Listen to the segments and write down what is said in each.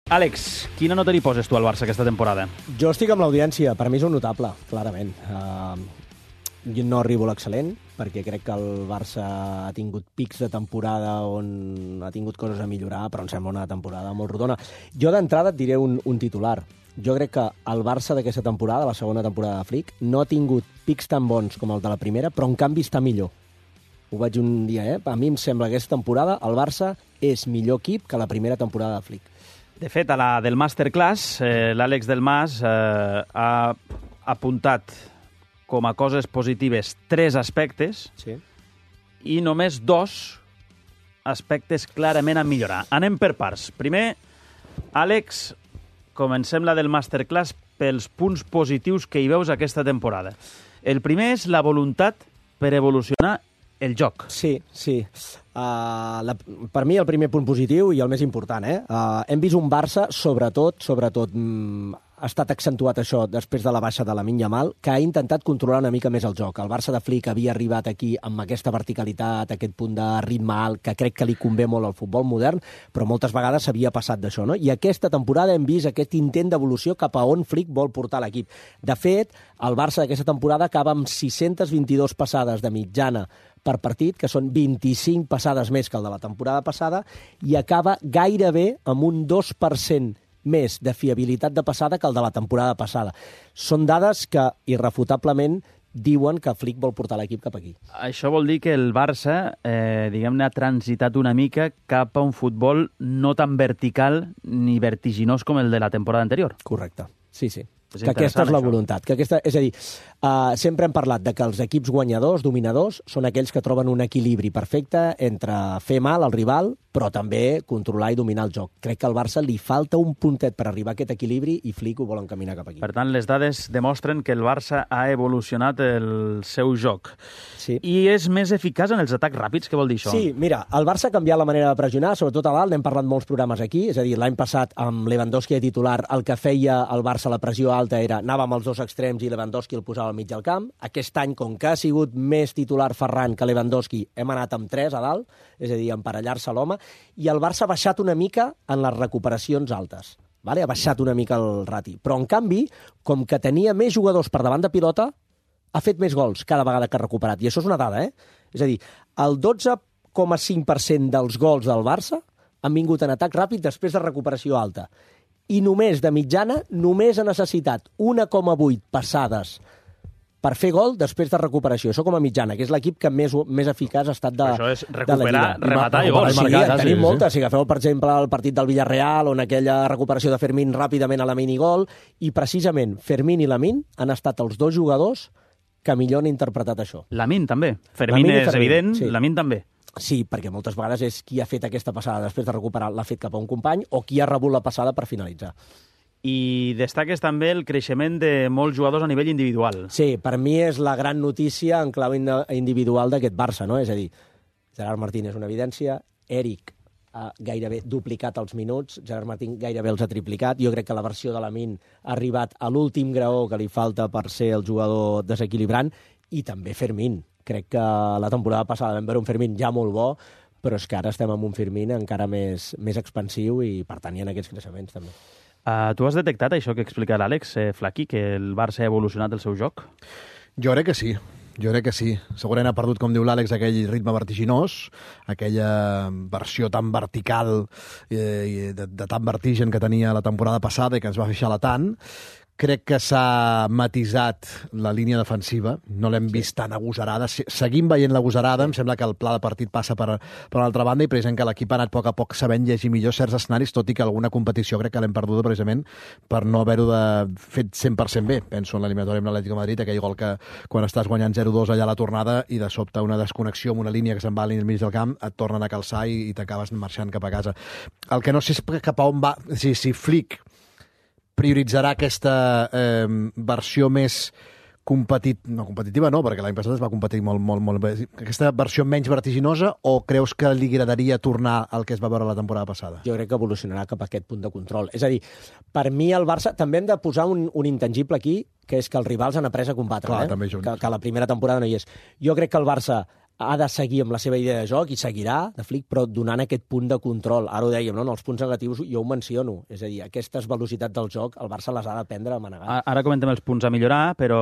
Àlex, quina nota li poses tu al Barça aquesta temporada? Jo estic amb l'audiència. Per mi és un notable, clarament. Jo no arribo a l'excel·lent, perquè crec que el Barça ha tingut pics de temporada on ha tingut coses a millorar, però em sembla una temporada molt rodona. Jo d'entrada et diré un titular. Jo crec que el Barça d'aquesta temporada, la segona temporada de Flick, no ha tingut pics tan bons com el de la primera, però en canvi està millor. Ho vaig un dia, A mi em sembla que aquesta temporada el Barça és millor equip que la primera temporada de Flick. De fet, a la del Masterclass, l'Àlex del Mas ha apuntat com a coses positives 3 aspectes i només 2 aspectes clarament a millorar. Anem per parts. Primer, Àlex, comencem la del Masterclass pels punts positius que hi veus aquesta temporada. El primer és la voluntat per evolucionar el joc. Sí. Per mi el primer punt positiu i el més important, hem vist un Barça, sobretot, ha estat accentuat això després de la baixa de Lamine Yamal, que ha intentat controlar una mica més el joc. El Barça de Flick havia arribat aquí amb aquesta verticalitat, aquest punt de ritme alt, que crec que li convé molt al futbol modern, però moltes vegades s'havia passat d'això, no? I aquesta temporada hem vist aquest intent d'evolució cap a on Flick vol portar l'equip. De fet, el Barça d'aquesta temporada acaba amb 622 passades de mitjana per partit, que són 25 passades més que el de la temporada passada, i acaba gairebé amb un 2% més de fiabilitat de passada que el de la temporada passada. Són dades que, irrefutablement, diuen que Flick vol portar l'equip cap aquí. Això vol dir que el Barça, diguem-ne, ha transitat una mica cap a un futbol no tan vertical ni vertiginós com el de la temporada anterior. Correcte, sí. Que aquesta és la voluntat. És a dir, sempre hem parlat de que els equips guanyadors, dominadors, són aquells que troben un equilibri perfecte entre fer mal al rival, però també controlar i dominar el joc. Crec que al Barça li falta un puntet per arribar a aquest equilibri i Flick ho vol encaminar cap aquí. Per tant, les dades demostren que el Barça ha evolucionat el seu joc. Sí. I és més eficaç en els atacs ràpids, què vol dir això? Sí, mira, el Barça ha canviat la manera de pressionar, sobretot a dalt, n'hem parlat molts programes aquí, és a dir, l'any passat amb Lewandowski de titular, el que feia el Barça la pressió alta era anava amb els 2 extrems i Lewandowski el posava al mig del camp. Aquest any, com que ha sigut més titular Ferran que Lewandowski, hem anat amb 3 a dalt, és a dir, emparellar-se l'home, i el Barça ha baixat una mica en les recuperacions altes. Ha baixat una mica el rati. Però, en canvi, com que tenia més jugadors per davant de pilota, ha fet més gols cada vegada que ha recuperat. I això és una dada, És a dir, el 12,5% dels gols del Barça han vingut en atac ràpid després de recuperació alta. I només, de mitjana, només ha necessitat 1,8 passades per fer gol després de recuperació. Això com a mitjana, que és l'equip que més eficaç ha estat de la Lliga. Això és recuperar, rematar i gols. Sí, tenim moltes. Si agafeu, per exemple, el partit del Villarreal, on aquella recuperació de Fermín ràpidament a Lamine i gol, i precisament Fermín i Lamine han estat els 2 jugadors que millor han interpretat això. Lamine també. Fermín és evident, sí. Lamine també. Sí, perquè moltes vegades és qui ha fet aquesta passada després de recuperar, l'ha fet cap a un company, o qui ha rebut la passada per finalitzar. I destaques també el creixement de molts jugadors a nivell individual. Sí, per mi és la gran notícia en clau individual d'aquest Barça, no? És a dir, Gerard Martín és una evidència, Eric ha gairebé duplicat els minuts, Gerard Martín gairebé els ha triplicat, jo crec que la versió de Lamine ha arribat a l'últim graó que li falta per ser el jugador desequilibrant, i també Fermín. Crec que la temporada passada vam veure un Fermín ja molt bo, però és que ara estem amb un Fermín encara més expansiu i, per tant, hi ha aquests creixements també. Tu has detectat això que explica l'Àlex Flaqui, que el Barça ha evolucionat el seu joc? Jo crec que sí. Segurament ha perdut, com diu l'Àlex, aquell ritme vertiginós, aquella versió tan vertical i de tan vertigen que tenia la temporada passada i que ens va fer xalar tant. Crec que s'ha matisat la línia defensiva, no l'hem vist tan agosarada. Seguim veient l'agosarada, em sembla que el pla de partit passa per una altra banda i precisament que l'equip ha anat a poc a poc sabent llegir millor certs escenaris, tot i que alguna competició crec que l'hem perduda precisament per no haver-ho fet 100% bé. Penso en l'eliminatòria amb l'Atlètic de Madrid, aquell gol que quan estàs guanyant 0-2 allà a la tornada i de sobte una desconnexió amb una línia que se'n va al mig del camp, et tornen a calçar i t'acabes marxant cap a casa. El que no sé és cap a on va, si Flick prioritzarà aquesta versió més competitiva, no, perquè l'any passat es va competir molt bé. Aquesta versió menys vertiginosa, o creus que li agradaria tornar al que es va veure la temporada passada? Jo crec que evolucionarà cap a aquest punt de control. És a dir, per mi el Barça també hem de posar un intangible aquí, que és que els rivals han après a combatre. Clar, també junts. Que la primera temporada no hi és. Jo crec que el Barça ha de seguir amb la seva idea de joc, i seguirà, de Flick, però donant aquest punt de control. Ara ho dèiem, no? En els punts negatius jo ho menciono. És a dir, aquestes velocitats del joc, el Barça les ha d'aprendre a manegar. Ara comentem els punts a millorar, però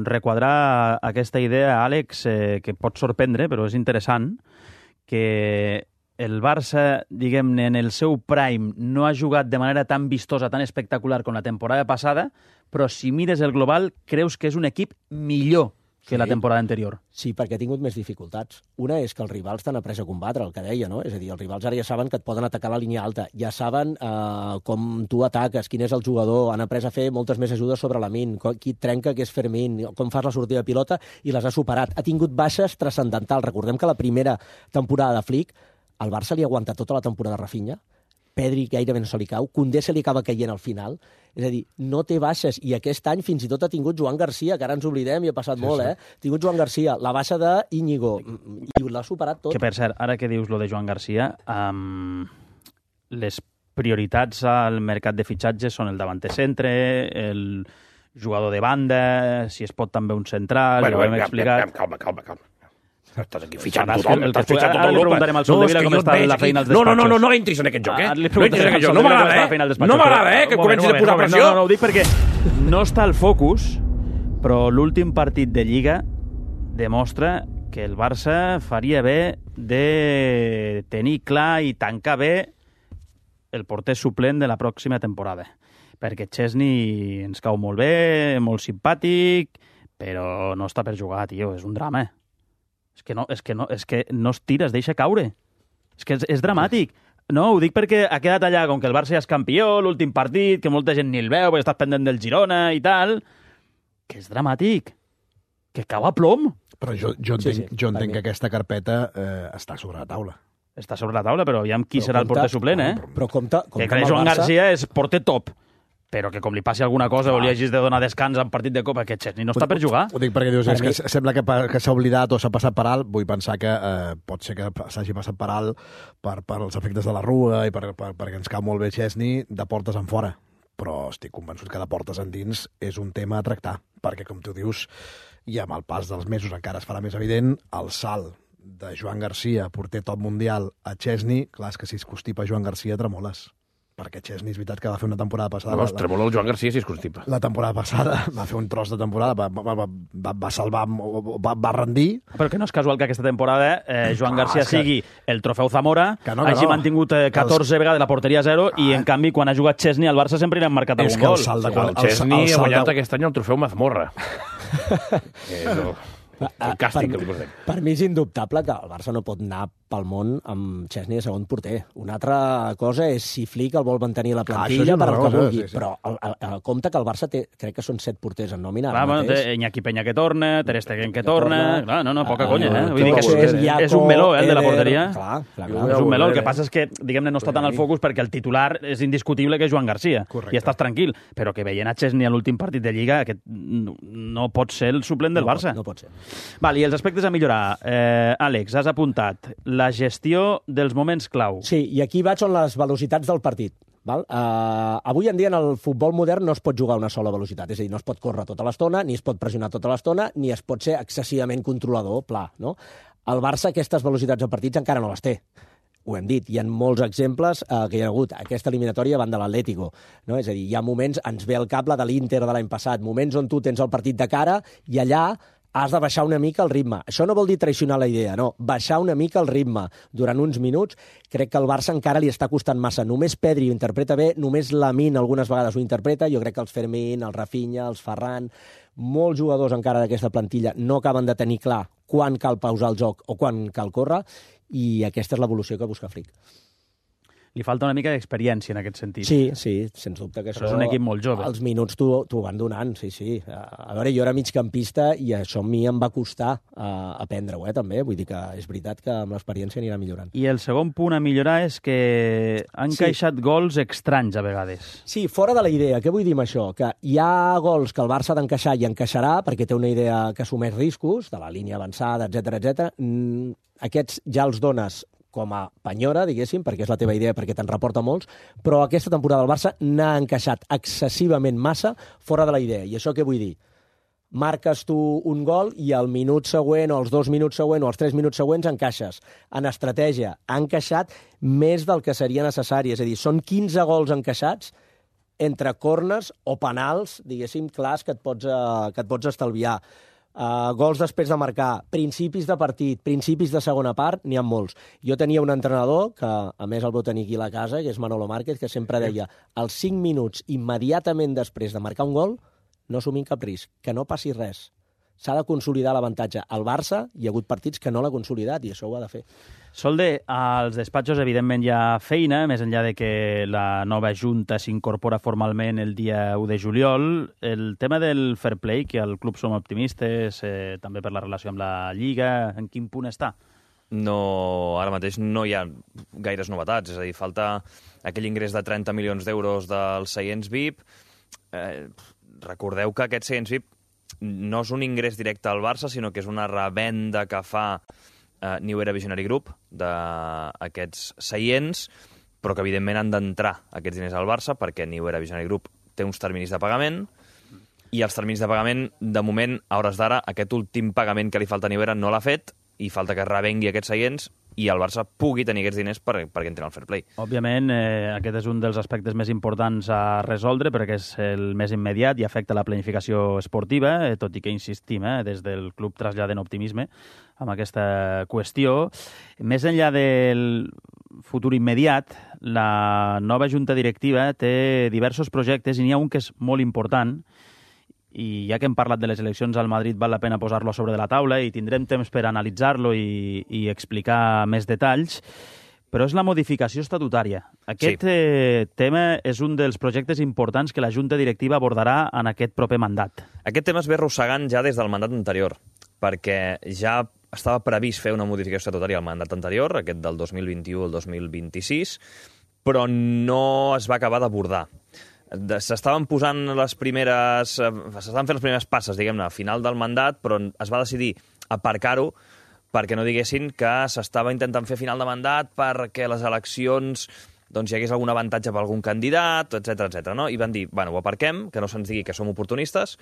requadrar aquesta idea, Àlex, que pot sorprendre, però és interessant, que el Barça, diguem-ne, en el seu prime no ha jugat de manera tan vistosa, tan espectacular com la temporada passada, però si mires el global, creus que és un equip millor que la temporada anterior. Sí, perquè ha tingut més dificultats. Una és que els rivals t'han après a combatre, el que deia, no? És a dir, els rivals ara ja saben que et poden atacar la línia alta, ja saben com tu ataques, quin és el jugador, han après a fer moltes més ajudes sobre la min, qui et trenca, que és Fermín, com fas la sortida de pilota, i les ha superat. Ha tingut baixes transcendentals. Recordem que la primera temporada de Flick, el Barça li aguanta tota la temporada a Rafinha, Pedri gairebé no se li cau, Koundé se li acaba caient al final, és a dir, no té baixes, i aquest any fins i tot ha tingut Joan Garcia, que ara ens oblidem i ha passat molt, Ha tingut Joan Garcia, la baixa d'Íñigo, i l'ha superat tot. Que, per cert, ara que dius lo de Joan Garcia, les prioritats al mercat de fitxatges són el davanter centre, el jugador de banda, si es pot també un central, ja ho hem explicat. Calma. Estàs aquí fitxant tothom, estàs fitxant tota Europa. Ara li preguntarem al Soldevila com està la feina als despatxos. No entris en aquest joc, No entris en aquest joc. No m'agrada, que comencis a posar pressió. No, ho dic perquè no està al focus, però l'últim partit de Lliga demostra que el Barça faria bé de tenir clar i tancar bé el porter suplent de la pròxima temporada. Perquè Chesney ens cau molt bé, molt simpàtic, però no està per jugar, tio, és un drama. És que no es tira, es deixa caure. És que és dramàtic. No, ho dic perquè ha quedat allà, com que el Barça ja és campió, l'últim partit, que molta gent ni el veu, perquè estàs pendent del Girona i tal, que és dramàtic. Que cau a plom. Però jo entenc que aquesta carpeta està sobre la taula. Està sobre la taula, però aviam qui serà el porter suplent, Però compte que Joan Garcia és porter top, però que com li passi alguna cosa o li hagis de donar descans en partit de Copa, aquest Chesney no està per jugar. Ho dic perquè dius, és que sembla que s'ha oblidat o s'ha passat per alt. Vull pensar que pot ser que s'hagi passat per alt per els efectes de la Rua i perquè ens cau molt bé Chesney de portes en fora. Però estic convençut que de portes endins és un tema a tractar, perquè, com tu dius, i amb el pas dels mesos encara es farà més evident, el salt de Joan Garcia, porter top mundial, a Chesney, clar, és que si es constipa Joan Garcia, tremoles. Perquè Chesney és veritat que va fer una temporada passada... No, tremola el Joan Garcia si es constipa. La temporada passada va fer un tros de temporada, va salvar, va rendir... Però que no és casual que aquesta temporada Joan Garcia sigui el trofeu Zamora, hagi mantingut 14 vegades la porteria a 0 i, en canvi, quan ha jugat Chesney al Barça sempre li han marcat algun gol. El Chesney ha guanyat aquest any el trofeu Mazmorra. El càstig que li posem. Per mi és indubtable que el Barça no pot anar pel món amb Chesney de segon porter. Una altra cosa és si Flick el vol mantenir a la plantilla per al que vulgui, però compte que el Barça té, crec que són 7 porters en nòmina. Clar, bueno, té Iñaki Peña que torna, Ter Stegen que torna... Clar, no, poca conya, Vull dir que és un meló, el de la porteria. Clar. És un meló. El que passa és que, diguem-ne, no està tant al focus perquè el titular és indiscutible que és Joan Garcia. I estàs tranquil. Però que veient a Chesney a l'últim partit de Lliga, aquest no pot ser el suplent del Barça. No pot ser. Val, i els aspectes a millorar. Àlex, has apuntat la gestió dels moments clau. Sí, i aquí vaig on les velocitats del partit. Val? Avui en dia en el futbol modern no es pot jugar a una sola velocitat, és a dir, no es pot córrer tota l'estona, ni es pot pressionar tota l'estona, ni es pot ser excessivament controlador, pla. No? El Barça aquestes velocitats de partits encara no les té. Ho hem dit, hi ha molts exemples que hi ha hagut aquesta eliminatòria davant de l'Atlético. No? És a dir, hi ha moments, ens ve al cap la de l'Inter de l'any passat, moments on tu tens el partit de cara i allà has de baixar una mica el ritme. Això no vol dir traicionar la idea, no. Baixar una mica el ritme durant uns minuts. Crec que al Barça encara li està costant massa. Només Pedri ho interpreta bé, només Lamine algunes vegades ho interpreta. Jo crec que els Fermín, els Rafinha, els Ferran, molts jugadors encara d'aquesta plantilla no acaben de tenir clar quan cal pausar el joc o quan cal córrer, i aquesta és l'evolució que busca Flick. Li falta una mica d'experiència en aquest sentit. Sí, sens dubte que però és un equip molt jove. Els minuts t'ho van donant, sí. A veure, jo era migcampista i això a mi em va costar aprendre-ho, també. Vull dir que és veritat que amb l'experiència anirà millorant. I el segon punt a millorar és que han encaixat gols estranys a vegades. Sí, fora de la idea. Què vull dir amb això? Que hi ha gols que el Barça ha d'encaixar i encaixarà perquè té una idea que assumeix riscos, de la línia avançada, etc. Aquests ja els dones com a penyora, diguéssim, perquè és la teva idea, perquè te'n reporta molts, però aquesta temporada el Barça n'ha encaixat excessivament massa fora de la idea. I això què vull dir? marques tu un gol i al minut següent, o els 2 minuts següents, o els 3 minuts següents encaixes. En estratègia, ha encaixat més del que seria necessari. És a dir, són 15 gols encaixats entre corners o penals, diguéssim, clars que et pots estalviar. Gols després de marcar, principis de partit, principis de segona part, n'hi ha molts. Jo tenia un entrenador, que a més el vau tenir aquí a la casa, que és Manolo Márquez, que sempre deia, als 5 minuts immediatament després de marcar un gol, no assumim cap risc, que no passi res. S'ha de consolidar l'avantatge. Al Barça hi ha hagut partits que no l'ha consolidat i això ho ha de fer. Solde, als despatxos evidentment hi ha feina, més enllà de que la nova Junta s'incorpora formalment el dia 1 de juliol. El tema del fair play, que al club som optimistes, també per la relació amb la Lliga, en quin punt està? No, ara mateix no hi ha gaires novetats, és a dir, falta aquell ingrés de 30 milions d'euros dels seients VIP. Recordeu que aquests seients VIP no és un ingrés directe al Barça, sinó que és una revenda que fa New Era Visionary Group d'aquests seients, però que evidentment han d'entrar aquests diners al Barça perquè New Era Visionary Group té uns terminis de pagament i els terminis de pagament, de moment, a hores d'ara, aquest últim pagament que li falta a New Era no l'ha fet i falta que revengui aquests seients i el Barça pugui tenir aquests diners perquè entrin al fair play. Òbviament, aquest és un dels aspectes més importants a resoldre perquè és el més immediat i afecta la planificació esportiva, tot i que insistim, des del club traslladem optimisme amb aquesta qüestió. Més enllà del futur immediat, la nova junta directiva té diversos projectes i n'hi ha un que és molt important, i ja que hem parlat de les eleccions al Madrid val la pena posar-lo a sobre de la taula i tindrem temps per analitzar-lo i explicar més detalls, però és la modificació estatutària. Aquest tema és un dels projectes importants que la Junta Directiva abordarà en aquest proper mandat. Aquest tema es ve arrossegant ja des del mandat anterior, perquè ja estava previst fer una modificació estatutària al mandat anterior, aquest del 2021 al 2026, però no es va acabar d'abordar. S'estaven fent les primeres passes, diguem-ne, a final del mandat, però es va decidir aparcar-ho perquè no diguessin que s'estava intentant fer final de mandat perquè les eleccions hi hagués algun avantatge per algun candidat, etc. No? I van dir, ho aparquem, que no se'ns digui que som oportunistes,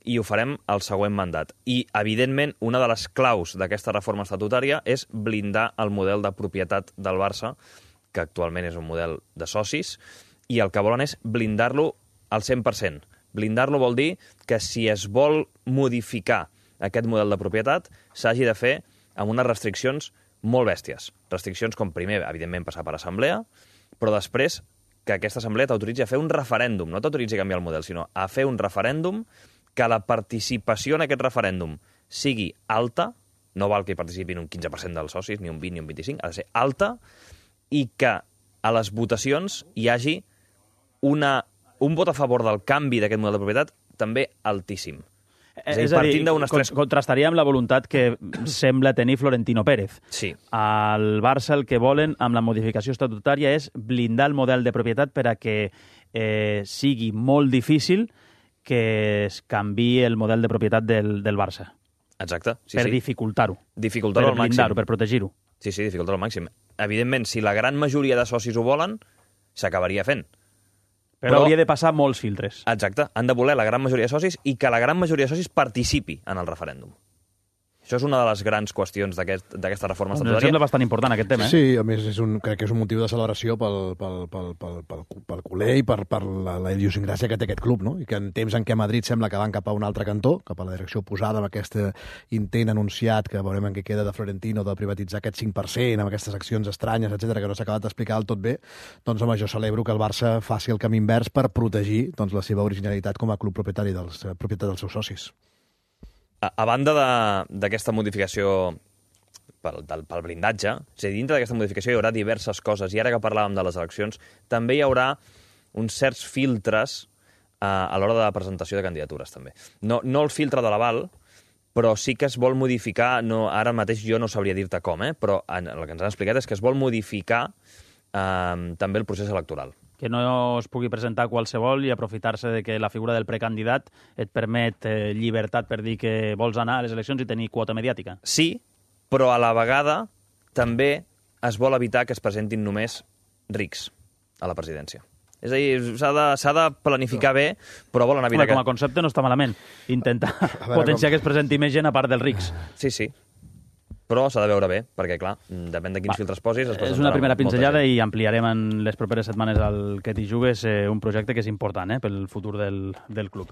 i ho farem al següent mandat. I, evidentment, una de les claus d'aquesta reforma estatutària és blindar el model de propietat del Barça, que actualment és un model de socis, i el que volen és blindar-lo al 100%. Blindar-lo vol dir que si es vol modificar aquest model de propietat, s'hagi de fer amb unes restriccions molt bèsties. Restriccions com, primer, evidentment, passar per assemblea, però després que aquesta assemblea t'autoritzi a fer un referèndum. No t'autoritzi a canviar el model, sinó a fer un referèndum, que la participació en aquest referèndum sigui alta, no val que hi participin un 15% dels socis, ni un 20 ni un 25, ha de ser alta, i que a les votacions hi hagi un vot a favor del canvi d'aquest model de propietat també altíssim. És a dir, contrastaria amb la voluntat que sembla tenir Florentino Pérez. Sí. Al Barça el que volen amb la modificació estatutària és blindar el model de propietat per a que sigui molt difícil que es canviï el model de propietat del Barça. Exacte. Per dificultar-ho. Dificultar-ho al màxim. Per blindar-ho, per protegir-ho. Sí, dificultar-ho al màxim. Evidentment, si la gran majoria de socis ho volen, s'acabaria fent. Però hauria de passar molts filtres. Exacte. Han de voler la gran majoria de socis i que la gran majoria de socis participi en el referèndum. Això és una de les grans qüestions d'aquesta reforma estatutària. Em sembla bastant important aquest tema. Sí, a més crec que és un motiu de celebració pel culer i per la idiosincràsia que té aquest club, no? I que en temps en què Madrid sembla que van cap a un altre cantó, cap a la direcció oposada, amb aquest intent anunciat que veurem en què queda de Florentino de privatitzar aquest 5%, amb aquestes accions estranyes, etc que no s'ha acabat d'explicar del tot bé, doncs home, jo celebro que el Barça faci el camí invers per protegir la seva originalitat com a club propietari dels seus socis. A banda d'aquesta modificació pel blindatge, és a dir, dintre d'aquesta modificació hi haurà diverses coses, i ara que parlàvem de les eleccions, també hi haurà uns certs filtres a l'hora de la presentació de candidatures, també. No el filtre de l'aval, però sí que es vol modificar, ara mateix jo no sabria dir-te com, però el que ens han explicat és que es vol modificar també el procés electoral. Que no es pugui presentar qualsevol i aprofitar-se de que la figura del precandidat et permet llibertat per dir que vols anar a les eleccions i tenir quota mediàtica. Sí, però a la vegada també es vol evitar que es presentin només rics a la presidència. És a dir, s'ha de planificar bé, però vol anar a Com a concepte no està malament. Intentar potenciar que es presenti més gent a part dels rics. Sí. Però s'ha de veure bé, perquè, clar, depèn de quins filtres posis... És una primera pinzellada i ampliarem en les properes setmanes al Que t'hi jugues un projecte que és important pel futur del club.